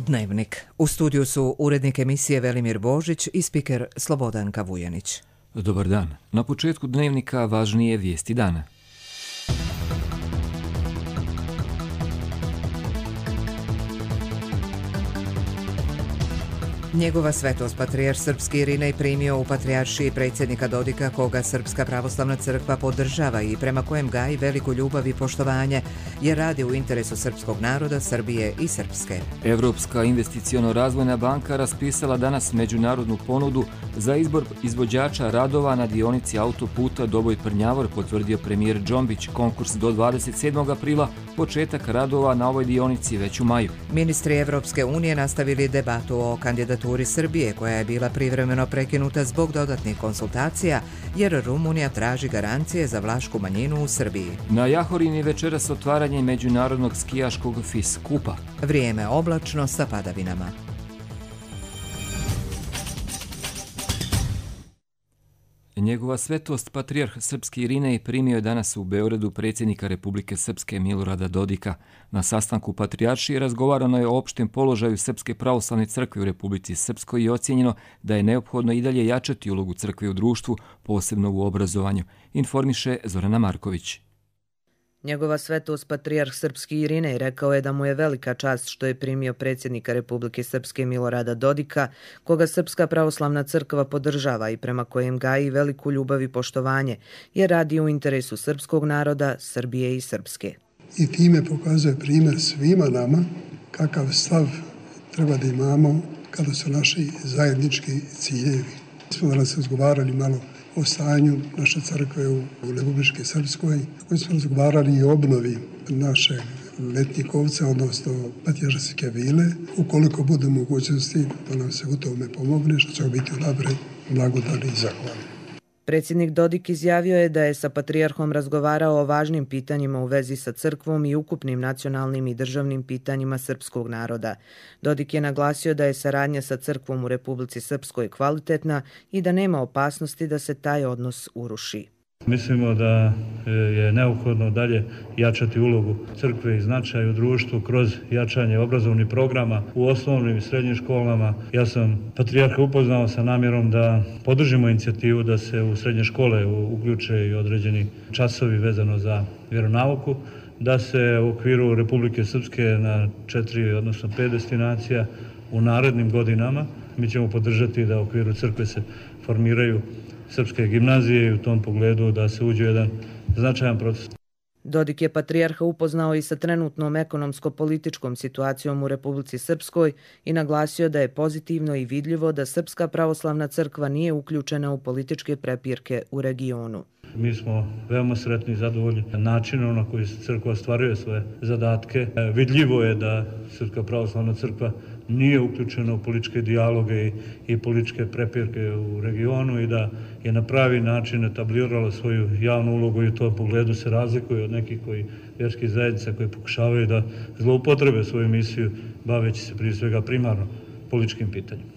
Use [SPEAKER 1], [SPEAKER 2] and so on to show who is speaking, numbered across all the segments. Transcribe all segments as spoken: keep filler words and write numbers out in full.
[SPEAKER 1] Dnevnik. U studiju su urednik emisije Velimir Božić i spiker Slobodanka Vujanić.
[SPEAKER 2] Dobar dan. Na početku Dnevnika važnije vijesti dana.
[SPEAKER 1] Njegova svetost patrijarh srpski Irinej primio u patrijaršiji predsjednika Dodika, koga Srpska pravoslavna crkva podržava i prema kojem gaji veliku ljubav i poštovanje, jer radi u interesu srpskog naroda, Srbije i Srpske.
[SPEAKER 2] Evropska investiciono-razvojna banka raspisala danas međunarodnu ponudu za izbor izvođača radova na dionici autoputa Doboj-Prnjavor, potvrdio premijer Džombić. Konkurs do dvadeset sedmog aprila, početak radova na ovoj dionici već u maju.
[SPEAKER 1] Ministri Evropske unije nastavili debatu o kandidaturi Srbije, koja je bila privremeno prekinuta zbog dodatnih konsultacija, jer Rumunija traži garancije za vlašku manjinu u Srbiji.
[SPEAKER 2] Na Jahorini večeras otvaranje međunarodnog skijaškog FIS kupa.
[SPEAKER 1] Vrijeme oblačno sa padavinama.
[SPEAKER 2] Njegova svetost patrijarh srpski Irinej primio je danas u Beogradu predsjednika Republike Srpske Milorada Dodika. Na sastanku patrijaršije razgovarano je o opštem položaju Srpske pravoslavne crkve u Republici Srpskoj i ocijenjeno da je neophodno i dalje jačati ulogu crkve u društvu, posebno u obrazovanju, informiše Zorana Marković.
[SPEAKER 3] Njegova svetost patrijarh srpski Irinej rekao je da mu je velika čast što je primio predsjednika Republike Srpske Milorada Dodika, koga Srpska pravoslavna crkva podržava i prema kojem gaji veliku ljubav i poštovanje, jer radi u interesu srpskog naroda, Srbije i Srpske.
[SPEAKER 4] I time pokazuje primjer svima nama kakav stav treba da imamo kada su naši zajednički ciljevi. Smo danas razgovarali malo o stanju naše crkve u Republike Srpskoj, koji smo razgovarali i o obnovi naše letnjikovce, odnosno patrijaršijske vile, ukoliko bude mogućnosti da nam se u tome pomogne, što će biti unaprijed blagodani i zahvalni.
[SPEAKER 3] Predsjednik Dodik izjavio je da je sa patrijarhom razgovarao o važnim pitanjima u vezi sa crkvom i ukupnim nacionalnim i državnim pitanjima srpskog naroda. Dodik je naglasio da je saradnja sa crkvom u Republici Srpskoj kvalitetna i da nema opasnosti da se taj odnos uruši.
[SPEAKER 5] Mislimo da je neophodno dalje jačati ulogu crkve i značaj u društvu kroz jačanje obrazovnih programa u osnovnim i srednjim školama. Ja sam patrijarha upoznao sa namjerom da podržimo inicijativu da se u srednje škole uključe i određeni časovi vezano za vjeronauku, da se u okviru Republike Srpske na četiri, odnosno pet destinacija u narednim godinama mi ćemo podržati da u okviru crkve se formiraju srpske gimnazije i u tom pogledu da se uđe jedan značajan proces.
[SPEAKER 3] Dodik je patrijarha upoznao i sa trenutnom ekonomsko-političkom situacijom u Republici Srpskoj i naglasio da je pozitivno i vidljivo da Srpska pravoslavna crkva nije uključena u političke prepirke u regionu.
[SPEAKER 5] Mi smo veoma sretni i zadovoljni načinom na koji crkva ostvaruje svoje zadatke. Vidljivo je da Srpska pravoslavna crkva nije uključena u političke dijaloge i, i političke prepirke u regionu i da je na pravi način etablirala svoju javnu ulogu i u tom pogledu se razlikuje od nekih koji vjerskih zajednica koji pokušavaju da zloupotrebe svoju misiju baveći se prije svega primarno političkim pitanjima.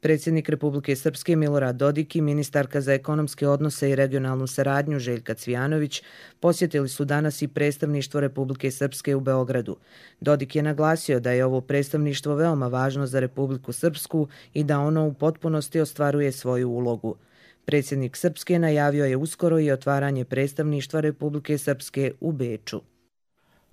[SPEAKER 3] Predsjednik Republike Srpske Milorad Dodik i ministarka za ekonomske odnose i regionalnu saradnju Željka Cvijanović posjetili su danas i predstavništvo Republike Srpske u Beogradu. Dodik je naglasio da je ovo predstavništvo veoma važno za Republiku Srpsku i da ono u potpunosti ostvaruje svoju ulogu. Predsjednik Srpske najavio je uskoro i otvaranje predstavništva Republike Srpske u Beču.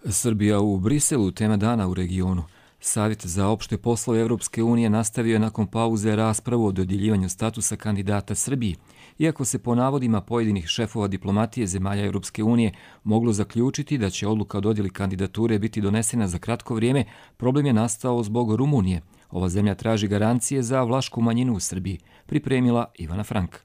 [SPEAKER 2] Srbija u Briselu, tema dana u regionu. Savjet za opšte poslove Evropske unije nastavio je nakon pauze raspravu o dodjeljivanju statusa kandidata Srbiji. Iako se po navodima pojedinih šefova diplomatije zemalja Evropske unije moglo zaključiti da će odluka o dodjeli kandidature biti donesena za kratko vrijeme, problem je nastao zbog Rumunije. Ova zemlja traži garancije za vlašku manjinu u Srbiji, pripremila Ivana Frank.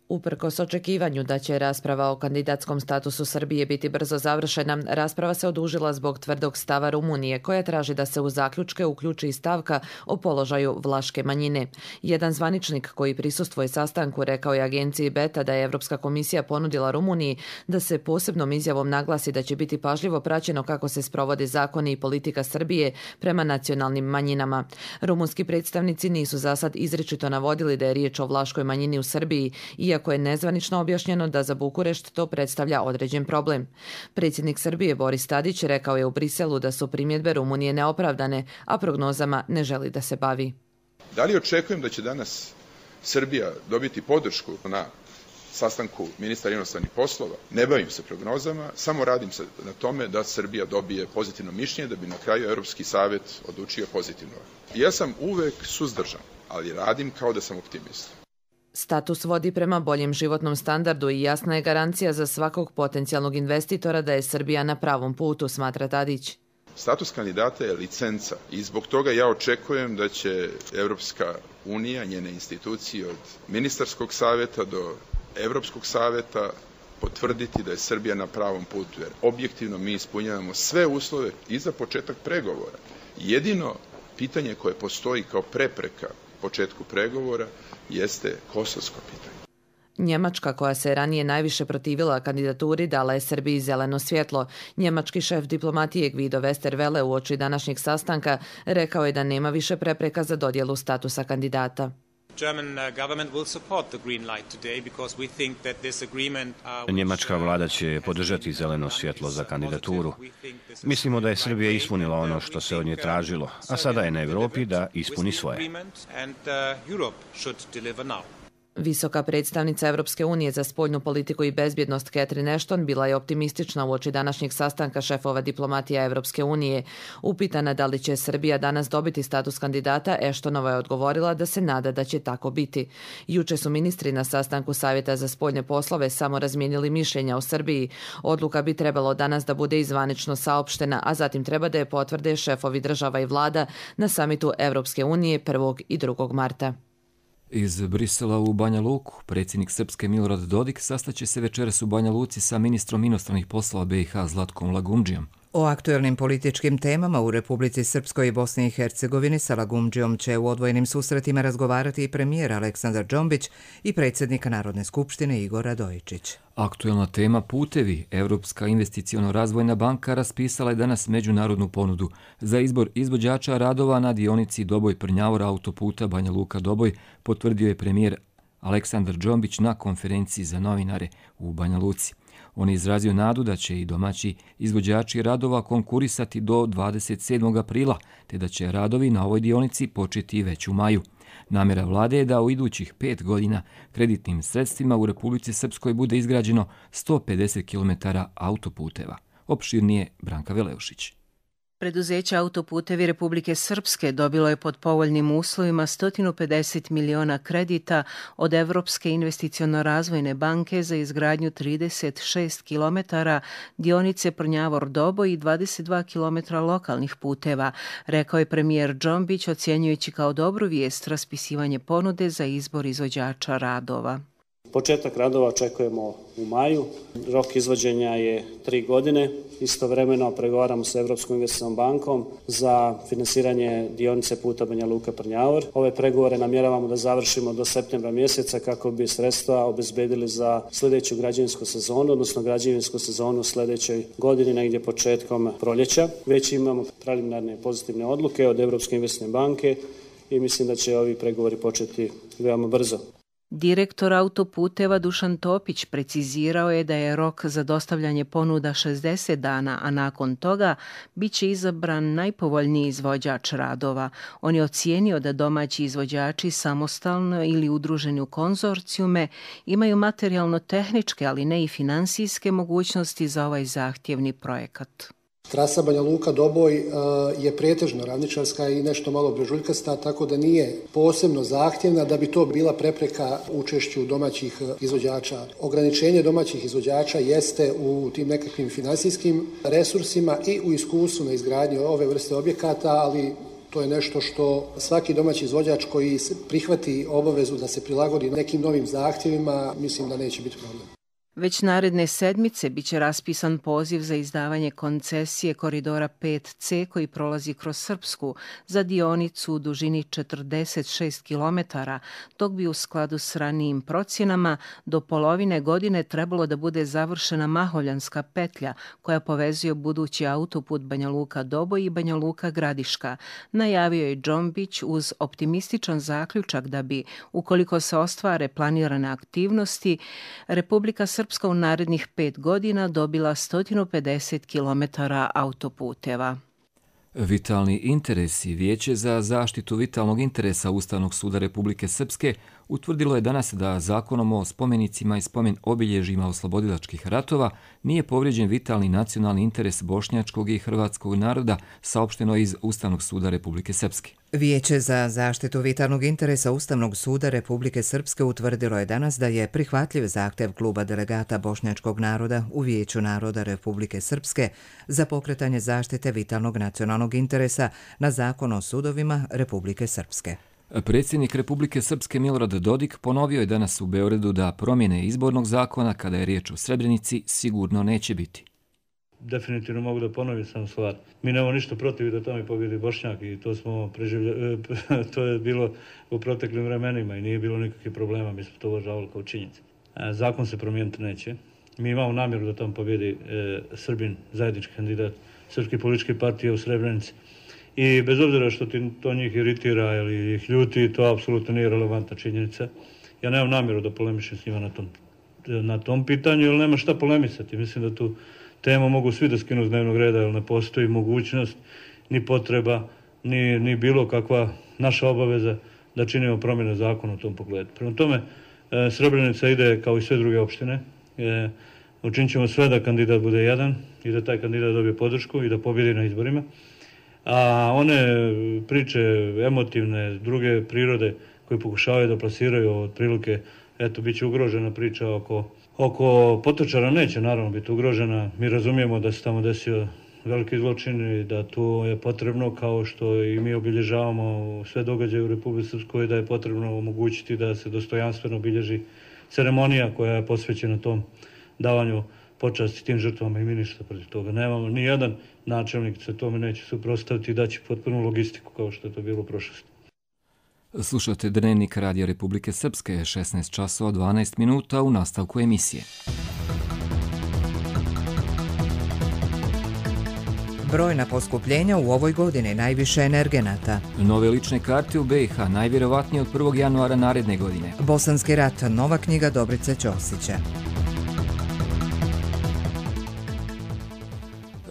[SPEAKER 6] Uprkos očekivanju da će rasprava o kandidatskom statusu Srbije biti brzo završena, rasprava se odužila zbog tvrdog stava Rumunije, koja traži da se u zaključke uključi i stavka o položaju vlaške manjine. Jedan zvaničnik koji prisustvuje sastanku rekao je agenciji Beta da je Evropska komisija ponudila Rumuniji da se posebnom izjavom naglasi da će biti pažljivo praćeno kako se sprovode zakoni i politika Srbije prema nacionalnim manjinama. Rumunski predstavnici nisu zasad izričito navodili da je riječ o vlaškoj manjini u Srbiji, iako iako je nezvanično objašnjeno da za Bukurešt to predstavlja određen problem. Predsjednik Srbije Boris Tadić rekao je u Briselu da su primjedbe Rumunije neopravdane, a prognozama ne želi da se bavi.
[SPEAKER 7] Da li očekujem da će danas Srbija dobiti podršku na sastanku ministra inostranih poslova? Ne bavim se prognozama, samo radim se na tome da Srbija dobije pozitivno mišljenje, da bi na kraju Europski savjet odlučio pozitivno. Ja sam uvek suzdržan, ali radim kao da sam optimista.
[SPEAKER 6] Status vodi prema boljem životnom standardu i jasna je garancija za svakog potencijalnog investitora da je Srbija na pravom putu, smatra Tadić.
[SPEAKER 7] Status kandidata je licenca i zbog toga ja očekujem da će Evropska unija, njene institucije od ministarskog savjeta do Evropskog savjeta potvrditi da je Srbija na pravom putu, jer objektivno mi ispunjavamo sve uslove i za početak pregovora. Jedino pitanje koje postoji kao prepreka početku pregovora jeste kosovsko pitanje.
[SPEAKER 6] Njemačka, koja se ranije najviše protivila kandidaturi, dala je Srbiji zeleno svjetlo. Njemački šef diplomatije Guido Westerwelle uoči današnjeg sastanka rekao je da nema više prepreka za dodjelu statusa kandidata.
[SPEAKER 8] Njemačka vlada će podržati zeleno svjetlo za kandidaturu. Mislimo da je Srbija ispunila ono što se od nje tražilo, a sada je na Evropi da ispuni svoje.
[SPEAKER 6] Visoka predstavnica Europske unije za spoljnu politiku i bezbjednost Catherine Ashton bila je optimistična uoči današnjeg sastanka šefova diplomatija Europske unije. Upitana da li će Srbija danas dobiti status kandidata, Ashtonova je odgovorila da se nada da će tako biti. Juče su ministri na sastanku Savjeta za spoljne poslove samo razmijenili mišljenja o Srbiji. Odluka bi trebalo danas da bude izvanično saopštena, a zatim treba da je potvrde šefovi država i vlada na samitu Europske unije prvog i drugog marta.
[SPEAKER 2] Iz Brisela u Banja Luku, predsjednik Srpske Milorad Dodik sastaće se večeras u Banja Luci sa ministrom inostranih poslova B i H Zlatkom Lagumdžijom.
[SPEAKER 1] O aktuelnim političkim temama u Republici Srpskoj i Bosni i Hercegovini sa Lagumdžijom će u odvojenim susretima razgovarati i premijer Aleksandar Džombić i predsjednik Narodne skupštine Igor Radojičić.
[SPEAKER 2] Aktuelna tema putevi. Europska investiciono-razvojna banka raspisala je danas međunarodnu ponudu za izbor izvođača radova na dionici Doboj-Prnjavor autoputa Banja Luka-Doboj, potvrdio je premijer Aleksandar Džombić na konferenciji za novinare u Banja Luci. On je izrazio nadu da će i domaći izvođači radova konkurisati do dvadeset sedmog aprila, te da će radovi na ovoj dionici početi već u maju. Namjera vlade je da u idućih pet godina kreditnim sredstvima u Republici Srpskoj bude izgrađeno sto pedeset kilometara autoputeva. Opširnije Branka Veleušić.
[SPEAKER 9] Preduzeće Autoputevi Republike Srpske dobilo je pod povoljnim uslovima sto pedeset miliona kredita od Evropske investiciono-razvojne banke za izgradnju trideset šest kilometara dionice Prnjavor-Doboj i dvadeset dva kilometra lokalnih puteva, rekao je premijer Džombić, ocjenjujući kao dobru vijest raspisivanje ponude za izbor izvođača radova.
[SPEAKER 10] Početak radova očekujemo u maju, rok izvođenja je tri godine, istovremeno pregovaramo sa Evropskom investicionom bankom za finansiranje dionice puta Banja Luka-Prnjavor. Ove pregovore namjeravamo da završimo do septembra mjeseca kako bi sredstva obezbedili za sljedeću građevinsku sezonu, odnosno građevinsku sezonu sljedećoj godini, negdje početkom proljeća. Već imamo preliminarne pozitivne odluke od Evropske investicijne banke i mislim da će ovi pregovori početi veoma brzo.
[SPEAKER 9] Direktor autoputeva Dušan Topić precizirao je da je rok za dostavljanje ponuda šezdeset dana, a nakon toga bit će izabran najpovoljniji izvođač radova. On je ocijenio da domaći izvođači samostalno ili udruženi u konzorcijume imaju materijalno-tehničke, ali ne i finansijske mogućnosti za ovaj zahtjevni projekat.
[SPEAKER 11] Trasa Banja Luka-Doboj je pretežno ravničarska i nešto malo brežuljkasta, tako da nije posebno zahtjevna da bi to bila prepreka učešću domaćih izvođača. Ograničenje domaćih izvođača jeste u tim nekakvim finansijskim resursima i u iskustvu na izgradnji ove vrste objekata, ali to je nešto što svaki domaći izvođač koji prihvati obavezu da se prilagodi nekim novim zahtjevima, mislim da neće biti problem.
[SPEAKER 9] Već naredne sedmice biće raspisan poziv za izdavanje koncesije koridora pet ce koji prolazi kroz Srpsku za dionicu u dužini četrdeset šest kilometara, dok bi u skladu s ranijim procjenama do polovine godine trebalo da bude završena Maholjanska petlja koja povezuje budući autoput Banja Luka-Doboj i Banja Luka-Gradiška. Najavio je Džombić uz optimističan zaključak da bi, ukoliko se ostvare planirane aktivnosti, Republika Srpska Srpska u narednih pet godina dobila sto pedeset kilometara autoputeva.
[SPEAKER 2] Vitalni interesi Vijeće za zaštitu vitalnog interesa Ustavnog suda Republike Srpske utvrdilo je danas da zakonom o spomenicima i spomen obilježjima oslobodilačkih ratova nije povrijeđen vitalni nacionalni interes bošnjačkog i hrvatskog naroda, saopšteno iz Ustavnog suda Republike Srpske.
[SPEAKER 1] Vijeće za zaštitu vitalnog interesa Ustavnog suda Republike Srpske utvrdilo je danas da je prihvatljiv zahtev kluba delegata bošnjačkog naroda u Vijeću naroda Republike Srpske za pokretanje zaštite vitalnog nacionalnog interesa na Zakon o sudovima Republike Srpske.
[SPEAKER 2] Predsjednik Republike Srpske Milorad Dodik ponovio je danas u Beogradu da promjene izbornog zakona kada je riječ o Srebrenici sigurno neće biti.
[SPEAKER 5] Definitivno mogu da ponovim sam stvar. Mi nemamo ništa protiv da tamo pobjedi Bošnjak i to smo preživljali, to je bilo u proteklim vremenima i nije bilo nikakvih problema, mi smo to uvažavali kao činjenice. Zakon se promijeniti neće. Mi imamo namjeru da tamo pobjedi e, Srbin, zajednički kandidat Srpske političke partije u Srebrenici. I bez obzira što ti to njih iritira ili ih ljuti, to apsolutno nije relevantna činjenica. Ja nemam namjeru da polemišem s njima na tom, na tom pitanju, jer nema šta polemisati. Mislim da tu temu mogu svi da skinu s dnevnog reda, jer ne postoji mogućnost, ni potreba, ni, ni bilo kakva naša obaveza da činimo promjene zakona u tom pogledu. Prema tome, e, Srebrenica ide kao i sve druge opštine. E, učinit ćemo sve da kandidat bude jedan i da taj kandidat dobije podršku i da pobjedi na izborima. A one priče emotivne, druge prirode koje pokušavaju da plasiraju otprilike, eto, bit će ugrožena priča oko, oko Potočara, neće naravno biti ugrožena. Mi razumijemo da se tamo desio veliki zločin i da tu je potrebno, kao što i mi obilježavamo sve događaje u Republici Srpskoj, da je potrebno omogućiti da se dostojanstveno obilježi ceremonija koja je posvećena tom davanju počasti tim žrtvama i mi ništa protiv toga. Nemamo ni jedan načelnik se tome neće suprotstaviti i daći potpunu logistiku kao što je to bilo u prošlosti.
[SPEAKER 2] Slušate Dnevnik Radija Republike Srpske, šesnaest časova dvanaest minuta u nastavku emisije.
[SPEAKER 1] Brojna poskupljenja u ovoj godini, najviše energenata.
[SPEAKER 2] Nove lične karte u be i ha najvjerovatnije od prvog januara naredne godine.
[SPEAKER 1] Bosanski rat, nova knjiga Dobrice Ćosića.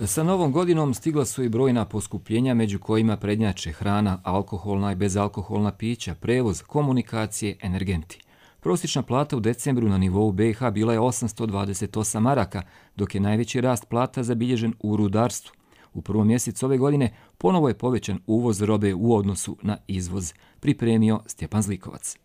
[SPEAKER 2] Sa novom godinom stigla su i brojna poskupljenja, među kojima prednjače hrana, alkoholna i bezalkoholna pića, prevoz, komunikacije, energenti. Prosječna plata u decembru na nivou be i ha bila je osamsto dvadeset osam maraka, dok je najveći rast plata zabilježen u rudarstvu. U prvom mjesecu ove godine ponovo je povećan uvoz robe u odnosu na izvoz, pripremio Stjepan Zlikovac.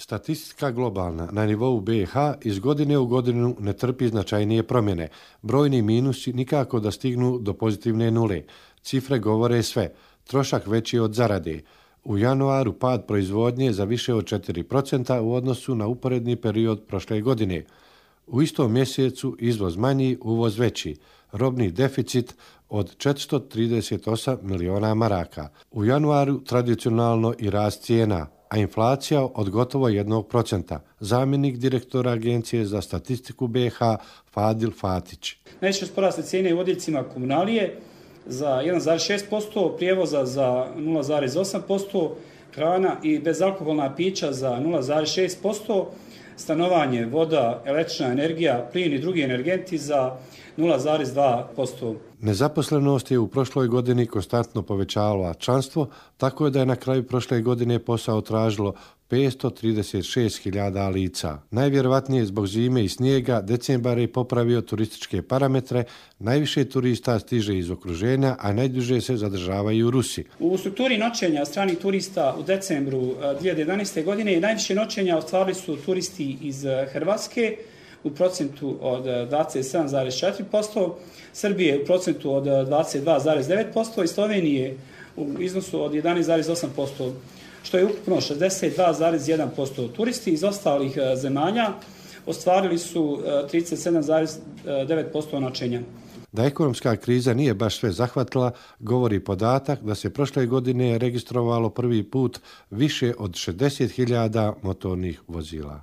[SPEAKER 12] Statistika globalna na nivou be i ha iz godine u godinu ne trpi značajnije promjene. Brojni minusi nikako da stignu do pozitivne nule. Cifre govore sve. Trošak veći od zarade. U januaru pad proizvodnje za više od četiri procenta u odnosu na uporedni period prošle godine. U istom mjesecu izvoz manji, uvoz veći. Robni deficit od četiristo trideset osam miliona maraka. U januaru tradicionalno i rast cijena, a inflacija od gotovo jednog procenta. Zamjenik direktora Agencije za statistiku be i ha Fadil Fatić.
[SPEAKER 13] Najviše su porasle cijene u odjeljcima komunalije za jedan zarez šest posto, prijevoza za nula zarez osam posto, hrana i bezalkoholna pića za nula zarez šest posto, stanovanje, voda, električna energija, plin i drugi energenti za nula zarez dva posto.
[SPEAKER 12] Nezaposlenost je u prošloj godini konstantno povećavala članstvo, tako je da je na kraju prošle godine posao tražilo petsto trideset šest hiljada lica. Najvjerovatnije zbog zime i snijega decembar je popravio turističke parametre, najviše turista stiže iz okruženja, a najduže se zadržavaju u Rusiji.
[SPEAKER 13] U strukturi noćenja stranih turista u decembru dvije hiljade jedanaeste. godine najviše noćenja ostvarili su turisti iz Hrvatske u procentu od dvadeset sedam zarez četiri posto, Srbije u procentu od dvadeset dva zarez devet posto i Slovenije u iznosu od jedanaest zarez osam posto, što je ukupno šezdeset dva zarez jedan posto. Turisti iz ostalih zemalja ostvarili su trideset sedam zarez devet posto noćenja.
[SPEAKER 12] Da ekonomska kriza nije baš sve zahvatila, govori podatak da se prošle godine registrovalo prvi put više od šezdeset hiljada motornih vozila.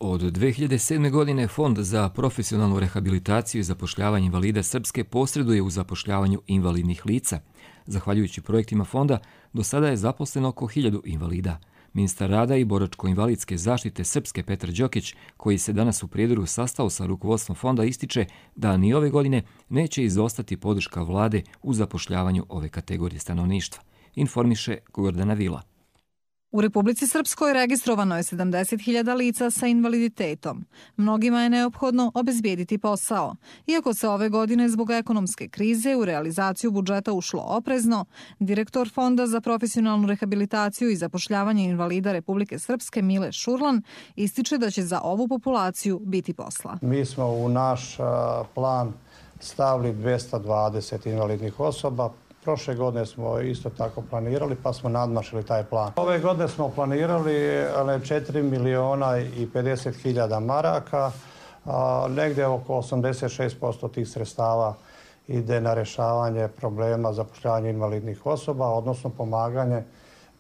[SPEAKER 2] Od dve hiljade sedme. godine Fond za profesionalnu rehabilitaciju i zapošljavanje invalida Srpske posreduje u zapošljavanju invalidnih lica. Zahvaljujući projektima fonda, do sada je zaposleno oko hiljadu invalida. Ministar rada i boračko-invalidske zaštite Srpske Petar Đokić, koji se danas u Prijedoru sastao sa rukovodstvom fonda, ističe da ni ove godine neće izostati podrška vlade u zapošljavanju ove kategorije stanovništva. Informiše Gordana Vila.
[SPEAKER 14] U Republici Srpskoj registrovano je sedamdeset hiljada lica sa invaliditetom. Mnogima je neophodno obezbijediti posao. Iako se ove godine zbog ekonomske krize u realizaciju budžeta ušlo oprezno, direktor Fonda za profesionalnu rehabilitaciju i zapošljavanje invalida Republike Srpske Mile Šurlan ističe da će za ovu populaciju biti posla.
[SPEAKER 15] Mi smo u naš plan stavili dvesta dvadeset invalidnih osoba. Prošle godine smo isto tako planirali, pa smo nadmašili taj plan. Ove godine smo planirali četiri miliona i pedeset hiljada maraka, a negdje oko osamdeset šest posto tih sredstava ide na rješavanje problema zapošljavanja invalidnih osoba, odnosno pomaganje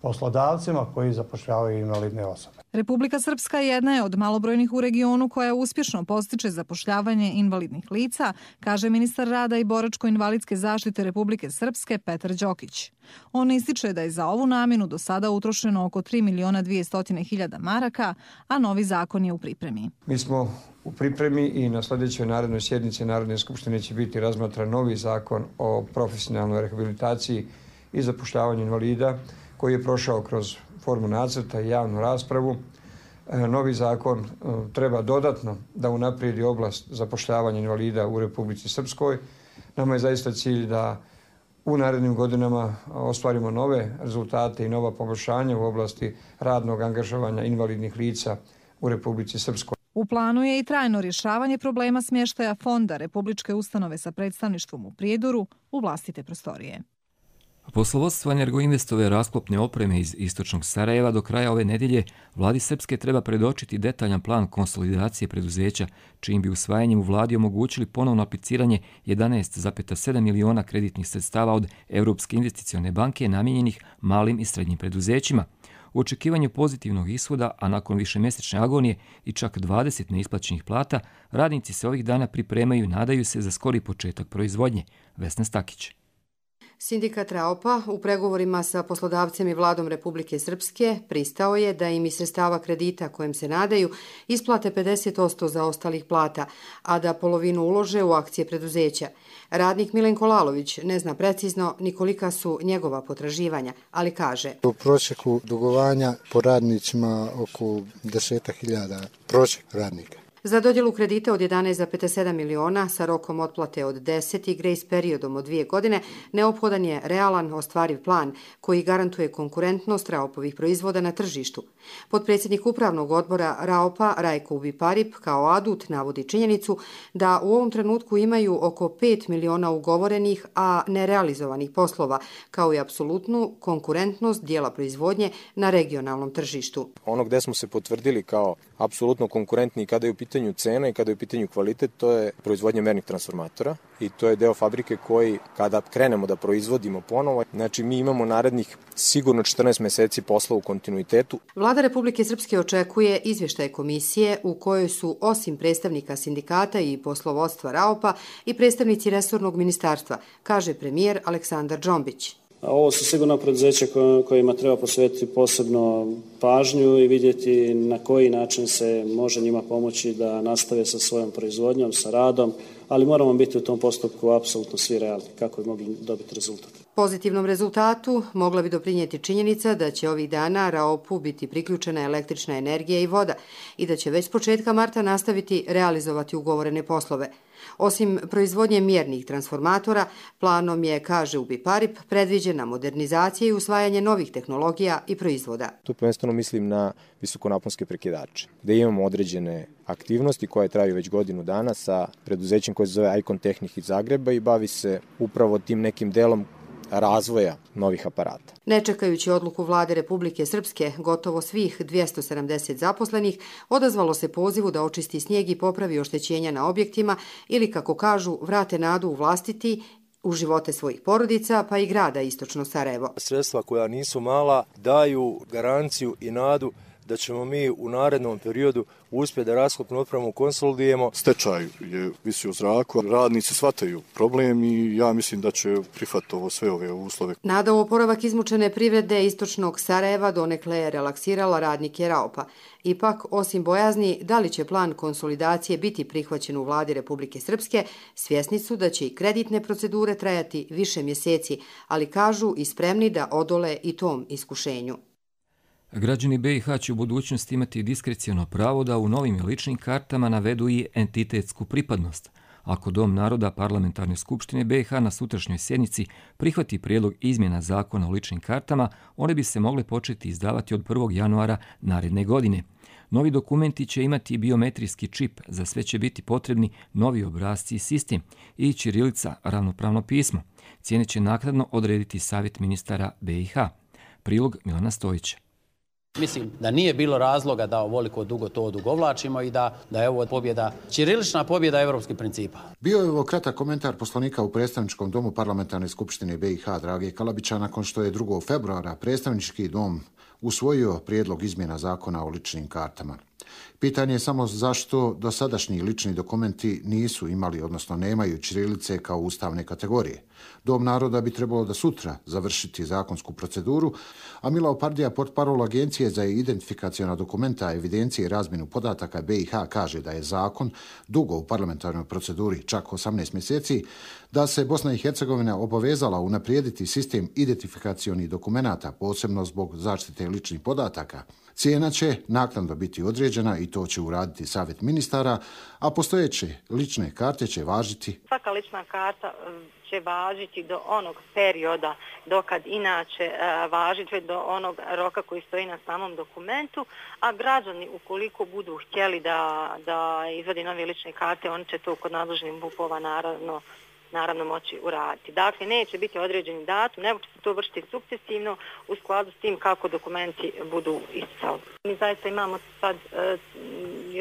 [SPEAKER 15] poslodavcima koji zapošljavaju invalidne osobe.
[SPEAKER 14] Republika Srpska jedna je od malobrojnih u regionu koja uspješno postiče zapošljavanje invalidnih lica, kaže ministar rada i boračko-invalidske zaštite Republike Srpske Petar Đokić. On ističe da je za ovu namjenu do sada utrošeno oko tri miliona dvjesto hiljada maraka, a novi zakon je u pripremi.
[SPEAKER 16] Mi smo u pripremi i na sljedećoj narednoj sjednici Narodne skupštine će biti razmatran novi zakon o profesionalnoj rehabilitaciji i zapošljavanju invalida, koji je prošao kroz formu nacrta i javnu raspravu. Novi zakon treba dodatno da unaprijedi oblast zapošljavanja invalida u Republici Srpskoj. Nama je zaista cilj da u narednim godinama ostvarimo nove rezultate i nova poboljšanja u oblasti radnog angažovanja invalidnih lica u Republici Srpskoj.
[SPEAKER 14] U planu je i trajno rješavanje problema smještaja fonda Republičke ustanove sa predstavništvom u Prijedoru u vlastite prostorije.
[SPEAKER 2] Poslovodstvo Energoinvestove rasklopne opreme iz istočnog Sarajeva do kraja ove nedjelje vladi Srpske treba predočiti detaljan plan konsolidacije preduzeća, čijim bi usvajanjem u vladi omogućili ponovno apliciranje jedanaest zarez sedam miliona kreditnih sredstava od Europske investicione banke namijenjenih malim i srednjim preduzećima. U očekivanju pozitivnog ishoda, a nakon višemjesečne agonije i čak dvadeset neisplaćenih plata, radnici se ovih dana pripremaju i nadaju se za skori početak proizvodnje. Vesna Stakić.
[SPEAKER 17] Sindikat Raopa u pregovorima sa poslodavcem i vladom Republike Srpske pristao je da im iz sredstava kredita kojem se nadaju isplate pedeset posto zaostalih plata, a da polovinu ulože u akcije preduzeća. Radnik Milenko Lalović ne zna precizno ni kolika su njegova potraživanja, ali kaže:
[SPEAKER 18] U prosjeku dugovanja po radnicima oko deset hiljada prosjek radnika.
[SPEAKER 17] Za dodjelu kredita od jedanaest zarez sedam miliona sa rokom otplate od deset i grejs periodom od dvije godine neophodan je realan ostvariv plan koji garantuje konkurentnost Raopovih proizvoda na tržištu. Potpredsjednik upravnog odbora Raopa Rajko Ubiparip kao adut navodi činjenicu da u ovom trenutku imaju oko pet miliona ugovorenih, a nerealizovanih poslova, kao i apsolutnu konkurentnost dijela proizvodnje na regionalnom tržištu.
[SPEAKER 19] Ono gde smo se potvrdili kao apsolutno konkurentni kada je u pitanju cena i kada je u pitanju kvalitet, to je proizvodnja mernih transformatora i to je deo fabrike koji kada krenemo da proizvodimo ponovo, znači mi imamo narednih sigurno četrnaest meseci posla u kontinuitetu.
[SPEAKER 17] Vlada Republike Srpske očekuje izvještaj komisije u kojoj su osim predstavnika sindikata i poslovodstva Raopa i predstavnici resornog ministarstva, kaže premijer Aleksandar Džombić.
[SPEAKER 10] Ovo su sigurno preduzeća kojima treba posvetiti posebno pažnju i vidjeti na koji način se može njima pomoći da nastave sa svojom proizvodnjom, sa radom, ali moramo biti u tom postupku apsolutno svi realni kako bi mogli dobiti rezultat.
[SPEAKER 17] Pozitivnom rezultatu mogla bi doprinijeti činjenica da će ovih dana Raopu biti priključena električna energija i voda i da će već s početka marta nastaviti realizovati ugovorene poslove. Osim proizvodnje mjernih transformatora, planom je, kaže Ubiparip, predviđena modernizacija i usvajanje novih tehnologija i proizvoda.
[SPEAKER 19] Tu prvenstveno mislim na visokonaponske prekidače, gde imamo određene aktivnosti koje traju već godinu dana sa preduzećem koje se zove Icon Tehnik iz Zagreba i bavi se upravo tim nekim delom razvoja novih aparata.
[SPEAKER 17] Ne čekajući odluku vlade Republike Srpske, gotovo svih dvjesto sedamdeset zaposlenih odazvalo se pozivu da očisti snijeg i popravi oštećenja na objektima ili, kako kažu, vrate nadu u vlastiti u živote svojih porodica, pa i grada Istočno Sarajevo.
[SPEAKER 20] Sredstva koja nisu mala daju garanciju i nadu da ćemo mi u narednom periodu uspjeti da raskopnu opremu konsolidujemo.
[SPEAKER 21] Stečaj je visio u zraku, radnici shvataju problem i ja mislim da će prihvatiti ovo sve ove uslove.
[SPEAKER 17] Nada u oporavak izmučene privrede Istočnog Sarajeva donekle je relaksirala radnike Raupa. Ipak, osim bojazni da li će plan konsolidacije biti prihvaćen u vladi Republike Srpske, svjesni su da će i kreditne procedure trajati više mjeseci, ali kažu i spremni da odole i tom iskušenju.
[SPEAKER 2] Građani B i H će u budućnosti imati diskreciono pravo da u novim ličnim kartama navedu i entitetsku pripadnost. Ako Dom naroda Parlamentarne skupštine B i H na sutrašnjoj sjednici prihvati prijedlog izmjena zakona o ličnim kartama, one bi se mogle početi izdavati od prvog januara naredne godine. Novi dokumenti će imati biometrijski čip, za sve će biti potrebni novi obrasci i sistem i ćirilica, ravnopravno pismo. Cijene će naknadno odrediti Savjet ministara B i H. Prilog Milana Stojića.
[SPEAKER 22] Mislim da nije bilo razloga da ovoliko dugo to odugovlačimo i da, da je ovo pobjeda, ćirilična pobjeda evropskih principa.
[SPEAKER 23] Bio je ovo kratak komentar poslanika u predstavničkom domu Parlamentarne skupštine B i H Drage Kalabića nakon što je drugog februara predstavnički dom usvojio prijedlog izmjena zakona o ličnim kartama. Pitanje je samo zašto dosadašnji lični dokumenti nisu imali, odnosno nemaju ćirilice kao ustavne kategorije. Dom naroda bi trebalo da sutra završiti zakonsku proceduru, a Milao Pardija, portparol Agencije za identifikaciona dokumenta, evidencije i razmjenu podataka B i H, kaže da je zakon dugo u parlamentarnoj proceduri, čak osamnaest mjeseci, da se Bosna i Hercegovina obavezala unaprijediti sistem identifikacionih dokumenata, posebno zbog zaštite ličnih podataka. Cijena će naknadno biti određena i to će uraditi Savjet ministara, a postojeće lične karte će važiti.
[SPEAKER 24] Svaka lična karta će važiti do onog perioda dokad inače važiti do onog roka koji stoji na samom dokumentu, a građani ukoliko budu htjeli da, da izvadi nove lične karte, oni će to kod nadležnih B U P-ova naravno naravno moći uraditi. Dakle, neće biti određeni datum, nego će se to vršiti sukcesivno u skladu s tim kako dokumenti budu isticali. Mi zaista imamo sad e,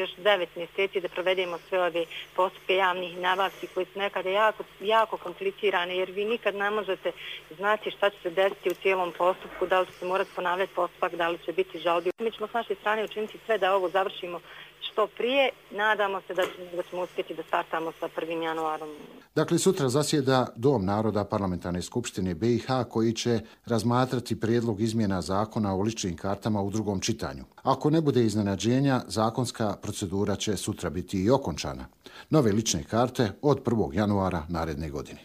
[SPEAKER 24] još devet mjeseci da provedemo sve ove postupke javnih nabavki koji su nekada jako, jako komplicirane, jer vi nikad ne možete znati šta će se desiti u cijelom postupku, da li će se morati ponavljati postupak, da li će biti žalbi. Mi ćemo s naše strane učiniti sve da ovo završimo što prije. Nadamo se da, da ćemo uspjeti da startamo sa prvim januarom.
[SPEAKER 23] Dakle, sutra zasjeda Dom naroda Parlamentarne skupštine B i H koji će razmatrati prijedlog izmjena zakona o ličnim kartama u drugom čitanju. Ako ne bude iznenađenja, zakonska procedura će sutra biti i okončana. Nove lične karte od prvog januara naredne godine.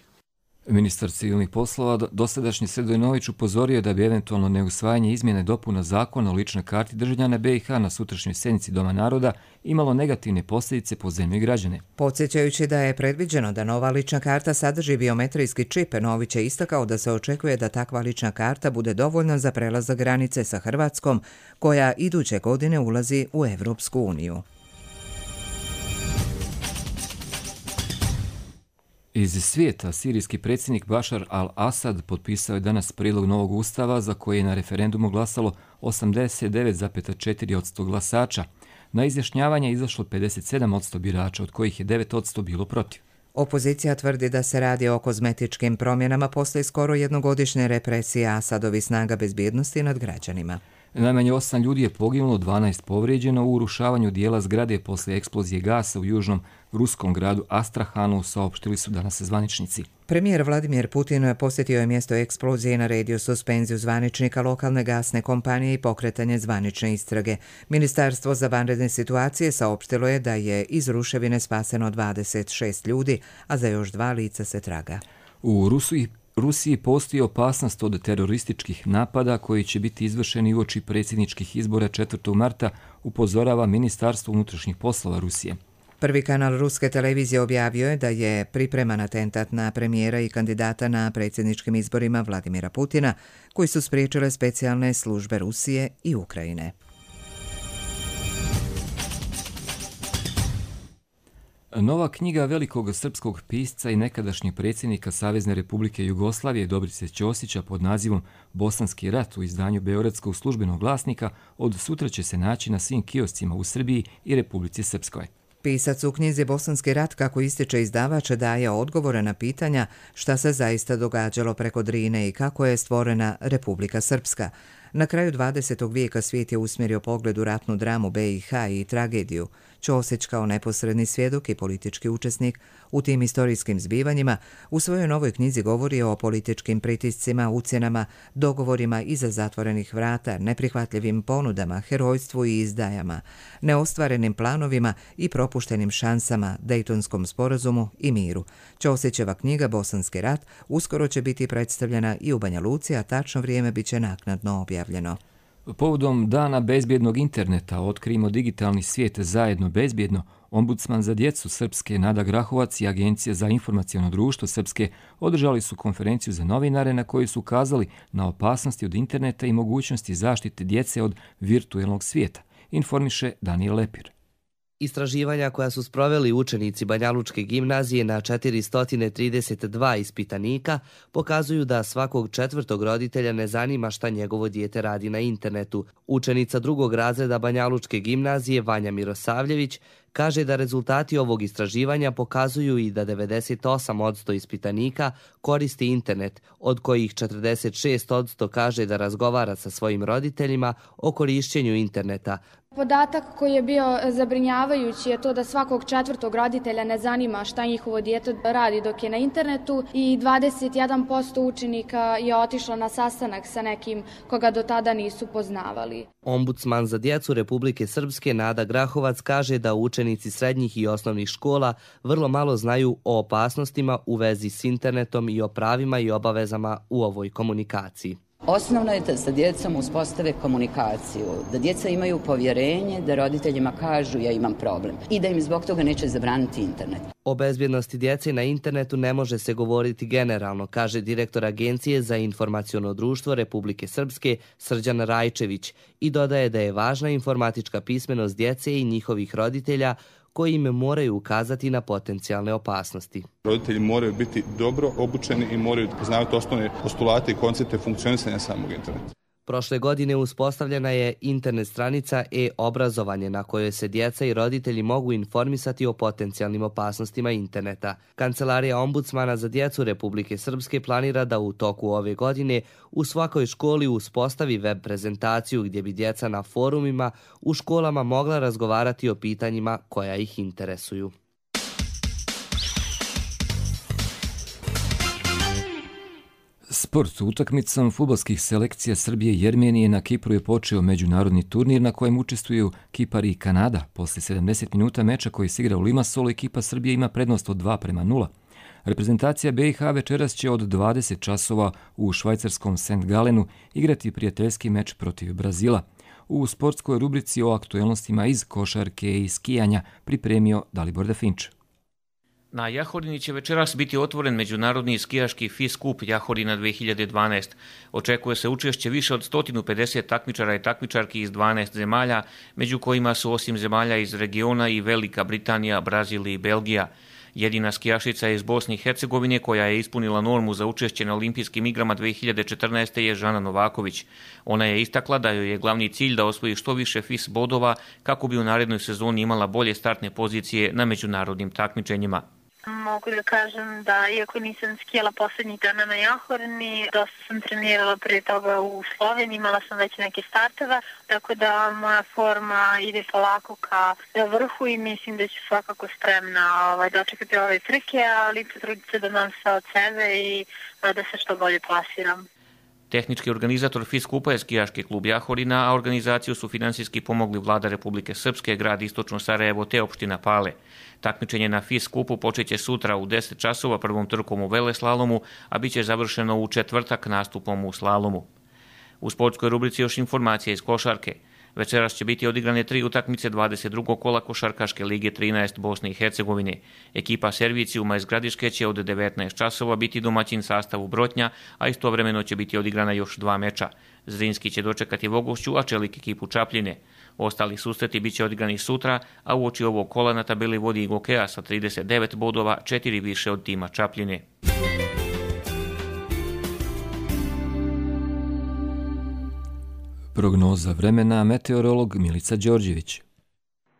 [SPEAKER 2] Ministar civilnih poslova dosadašnji Sredojnović upozorio da bi eventualno neusvajanje izmjene dopuna zakona o ličnoj karti državljana B i H na sutrašnjoj sjednici Doma naroda imalo negativne posljedice po zemlju i građane.
[SPEAKER 1] Podsjećajući da je predviđeno da nova lična karta sadrži biometrijski čip, Nović je istakao da se očekuje da takva lična karta bude dovoljna za prelazak granice sa Hrvatskom, koja iduće godine ulazi u Evropsku uniju.
[SPEAKER 2] Iz svijeta, sirijski predsjednik Bašar al-Asad potpisao je danas prijedlog novog ustava za koji je na referendumu glasalo osamdeset devet zarez četiri posto glasača. Na izjašnjavanje je izašlo pedeset sedam posto birača, od kojih je devet posto bilo protiv.
[SPEAKER 1] Opozicija tvrdi da se radi o kozmetičkim promjenama posle skoro jednogodišnje represije Asadovih snaga bezbjednosti nad građanima.
[SPEAKER 2] Najmanje osam ljudi je poginulo, dvanaest povrijeđeno u urušavanju dijela zgrade posle eksplozije gasa u južnom ruskom gradu Astrahanu, saopštili su danas zvaničnici.
[SPEAKER 1] Premijer Vladimir Putin posjetio je mjesto eksplozije i naredio suspenziju zvaničnika lokalne gasne kompanije i pokretanje zvanične istrage. Ministarstvo za vanredne situacije saopštilo je da je iz ruševine spaseno dvadeset šest ljudi, a za još dva lica se traga.
[SPEAKER 2] U Rusiji Rusiji postoji opasnost od terorističkih napada koji će biti izvršeni uoči predsjedničkih izbora četvrtog marta, upozorava Ministarstvo unutrašnjih poslova Rusije.
[SPEAKER 1] Prvi kanal ruske televizije objavio je da je pripreman atentat na premijera i kandidata na predsjedničkim izborima Vladimira Putina, koji su spriječile specijalne službe Rusije i Ukrajine.
[SPEAKER 2] Nova knjiga velikog srpskog pisca i nekadašnjeg predsjednika Savezne Republike Jugoslavije Dobrice Ćosića pod nazivom Bosanski rat u izdanju Beogradskog službenog glasnika od sutra će se naći na svim kioscima u Srbiji i Republici Srpskoj.
[SPEAKER 1] Pisac u knjizi Bosanski rat, kako ističe izdavač, daje odgovore na pitanja šta se zaista događalo preko Drine i kako je stvorena Republika Srpska. Na kraju dvadesetog vijeka svijet je usmjerio pogled u ratnu dramu B i H i tragediju. Ćosić kao neposredni svjedok i politički učesnik u tim historijskim zbivanjima u svojoj novoj knjizi govori o političkim pritiscima, ucjenama, dogovorima iza zatvorenih vrata, neprihvatljivim ponudama, herojstvu i izdajama, neostvarenim planovima i propuštenim šansama, Dejtonskom sporazumu i miru. Ćosićeva knjiga Bosanski rat uskoro će biti predstavljena i u Banja Luci, a tačno vrijeme bit će naknadno objavljeno.
[SPEAKER 2] Povodom Dana bezbjednog interneta Otkrijmo digitalni svijet zajedno bezbjedno, ombudsman za djecu Srpske Nada Grahovac i Agencija za informaciono društvo Srpske održali su konferenciju za novinare na kojoj su ukazali na opasnosti od interneta i mogućnosti zaštite djece od virtuelnog svijeta, informiše Danijel Lepir.
[SPEAKER 3] Istraživanja koja su sproveli učenici Banjalučke gimnazije na četiristo trideset dva ispitanika pokazuju da svakog četvrtog roditelja ne zanima šta njegovo dijete radi na internetu. Učenica drugog razreda Banjalučke gimnazije Vanja Mirosavljević kaže da rezultati ovog istraživanja pokazuju i da devedeset osam posto ispitanika koristi internet, od kojih četrdeset šest posto kaže da razgovara sa svojim roditeljima o korišćenju interneta.
[SPEAKER 4] Podatak koji je bio zabrinjavajući je to da svakog četvrtog roditelja ne zanima šta njihovo dijete radi dok je na internetu i dvadeset jedan posto učenika je otišlo na sastanak sa nekim koga do tada nisu poznavali.
[SPEAKER 3] Ombudsman za djecu Republike Srpske Nada Grahovac kaže da učenici srednjih i osnovnih škola vrlo malo znaju o opasnostima u vezi s internetom i o pravima i obavezama u ovoj komunikaciji.
[SPEAKER 7] Osnovno je da sa djecom uspostave komunikaciju, da djeca imaju povjerenje, da roditeljima kažu ja imam problem i da im zbog toga neće zabraniti internet.
[SPEAKER 3] O bezbjednosti djece na internetu ne može se govoriti generalno, kaže direktor Agencije za informaciono društvo Republike Srpske Srđan Rajčević i dodaje da je važna informatička pismenost djece i njihovih roditelja koji im moraju ukazati na potencijalne opasnosti.
[SPEAKER 8] Roditelji moraju biti dobro obučeni i moraju poznavati osnovne postulate i koncepte funkcionisanja samog interneta.
[SPEAKER 3] Prošle godine uspostavljena je internet stranica e-obrazovanje na kojoj se djeca i roditelji mogu informisati o potencijalnim opasnostima interneta. Kancelarija ombudsmana za djecu Republike Srpske planira da u toku ove godine u svakoj školi uspostavi web prezentaciju gdje bi djeca na forumima u školama mogla razgovarati o pitanjima koja ih interesuju.
[SPEAKER 2] Sport. Utakmicom fudbalskih selekcija Srbije i Jermenije na Kipru je počeo međunarodni turnir na kojem učestvuju Kipar i Kanada. Posle sedamdeset minuta meča koji se igra u Limassolu, ekipa Srbije ima prednost od dva prema nula. Reprezentacija B i H večeras će od dvadeset časova u švajcarskom Saint Galenu igrati prijateljski meč protiv Brazila. U sportskoj rubrici o aktuelnostima iz košarke i skijanja pripremio Dalibor Definč.
[SPEAKER 25] Na Jahorini će večeras biti otvoren međunarodni skijaški F I S Kup Jahorina dve hiljade dvanaest. Očekuje se učešće više od sto pedeset takmičara i takmičarki iz dvanaest zemalja, među kojima su osim zemalja iz regiona i Velika Britanija, Brazil i Belgija. Jedina skijašica iz Bosne i Hercegovine koja je ispunila normu za učešće na olimpijskim igrama dve hiljade četrnaeste. je Žana Novaković. Ona je istakla da joj je glavni cilj da osvoji što više F I S bodova kako bi u narednoj sezoni imala bolje startne pozicije na međunarodnim takmičenjima.
[SPEAKER 26] Mogu da kažem da, iako nisam skijala posljednjih dana na Jahorini, dosta sam trenirala prije toga u Sloveniji, imala sam već neke starteva, tako da moja forma ide polako ka vrhu i mislim da ću svakako spremna ovaj, dočekati ove trke, ali potruditi se da dam sve od sebe i da se što bolje plasiram.
[SPEAKER 25] Tehnički organizator F I S Kupa je skijaški klub Jahorina, a organizaciju su finansijski pomogli Vlada Republike Srpske, grad Istočno Sarajevo te opština Pale. Takmičenje na F I S Kupu počeće sutra u deset časova prvom trkom u veleslalomu, a bit će završeno u četvrtak nastupom u slalomu. U sportskoj rubrici još informacije iz košarke. Večeras će biti odigrane tri utakmice dvadeset drugog kola košarkaške lige trinaest Bosne i Hercegovine. Ekipa Servicijuma iz Gradiške će od devetnaest časova biti domaćin sastavu Brotnja, a istovremeno će biti odigrana još dva meča. Zrinski će dočekati Vogošću, a Čelik ekipu Čapljine. Ostali susreti biće odigrani sutra, a uoči ovog kola na tabeli vodi Gokeja sa trideset devet bodova, četiri više od tima Čapljine.
[SPEAKER 2] Prognoza vremena, meteorolog Milica Đorđević.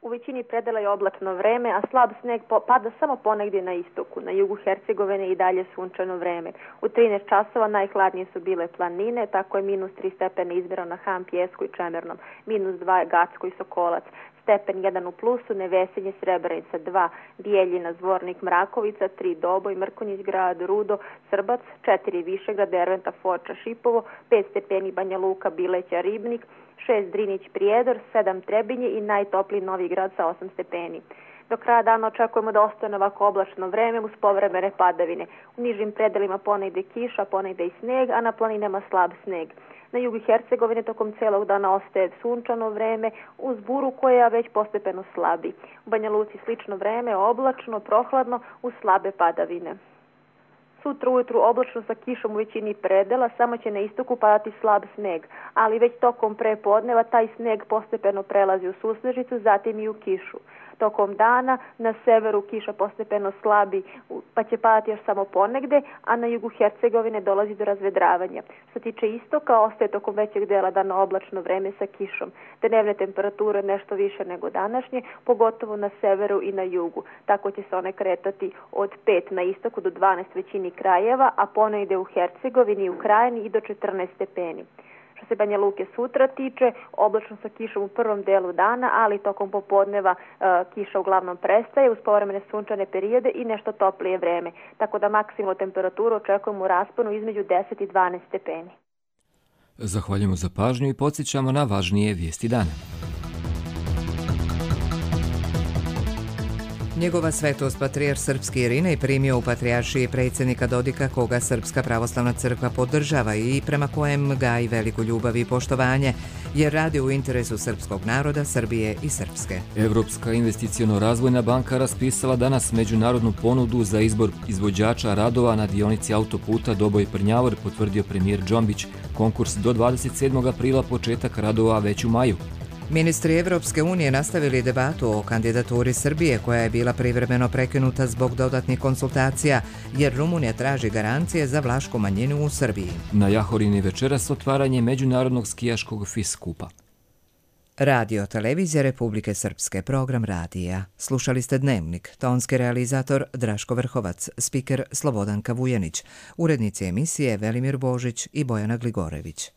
[SPEAKER 5] U većini predela je oblačno vreme, a slab sneg pada samo ponegdje na istoku. Na jugu Hercegovine i dalje sunčano vreme. U trinaest časova najhladnije su bile planine, tako je minus tri stepena izmjereno na Ham, Pjesku i Čemernom, minus dva Gacko i Sokolac, stepen jedan u plusu, Nevesinje, Srebrenica dva, Bijeljina, Zvornik, Mrakovica, tri Doboj, Mrkonjić grad, Rudo, Srbac, četiri Višegrad, Derventa, Foča, Šipovo, pet stepeni Banja Luka, Bileća, Ribnik, šest Drinić, Prijedor, sedam Trebinje i najtopliji Novi Grad sa osam stepeni. Do kraja dana očekujemo da ostane ovako oblačno vreme uz povremene padavine. U nižim predelima ponegde kiša, ponegde i sneg, a na planinama slab sneg. Na jugu Hercegovine tokom celog dana ostaje sunčano vreme uz buru koja već postepeno slabi. U Banja Luci slično vreme, oblačno, prohladno uz slabe padavine. Sutra ujutru oblačno sa kišom u većini predela, samo će na istoku padati slab sneg, ali već tokom prepodneva taj sneg postepeno prelazi u susnežicu, zatim i u kišu. Tokom dana na severu kiša postepeno slabi, pa će padati još samo ponegde, a na jugu Hercegovine dolazi do razvedravanja. Što tiče istoka, ostaje tokom većeg dela dana oblačno vreme sa kišom. Dnevne temperature nešto više nego današnje, pogotovo na severu i na jugu. Tako će se one kretati od pet na istoku do dvanaest većini krajeva, a ponegde u Hercegovini i u Krajini i do četrnaest stepeni. Što se Banja Luke sutra tiče, oblačno sa kišom u prvom delu dana, ali tokom popodneva e, kiša uglavnom prestaje uz povremene sunčane periode i nešto toplije vreme. Tako da maksimalnu temperaturu očekujemo u rasponu između deset i dvanaest stepeni.
[SPEAKER 2] Zahvaljujemo za pažnju i podsjećamo na važnije vijesti dana.
[SPEAKER 1] Njegova svetost patrijarh srpski Irinej primio u patrijaršiji predsjednika Dodika, koga Srpska pravoslavna crkva podržava i prema kojem gaji veliku ljubav i poštovanje, jer radi u interesu srpskog naroda, Srbije i Srpske.
[SPEAKER 2] Evropska investiciono-razvojna banka raspisala danas međunarodnu ponudu za izbor izvođača radova na dionici autoputa Doboj-Prnjavor, potvrdio premijer Džombić. Konkurs do dvadeset sedmog aprila, početak radova već u maju.
[SPEAKER 1] Ministri Evropske unije nastavili debatu o kandidaturi Srbije, koja je bila privremeno prekinuta zbog dodatnih konsultacija, jer Rumunija traži garancije za vlašku manjinu u Srbiji.
[SPEAKER 2] Na Jahorini večeras otvaranje međunarodnog skijaškog FIS skupa.
[SPEAKER 1] Radio Televizija Republike Srpske, program radija. Slušali ste Dnevnik, tonski realizator Draško Vrhovac, spiker Slobodanka Vujanić, urednici emisije Velimir Božić i Bojana Gligorević.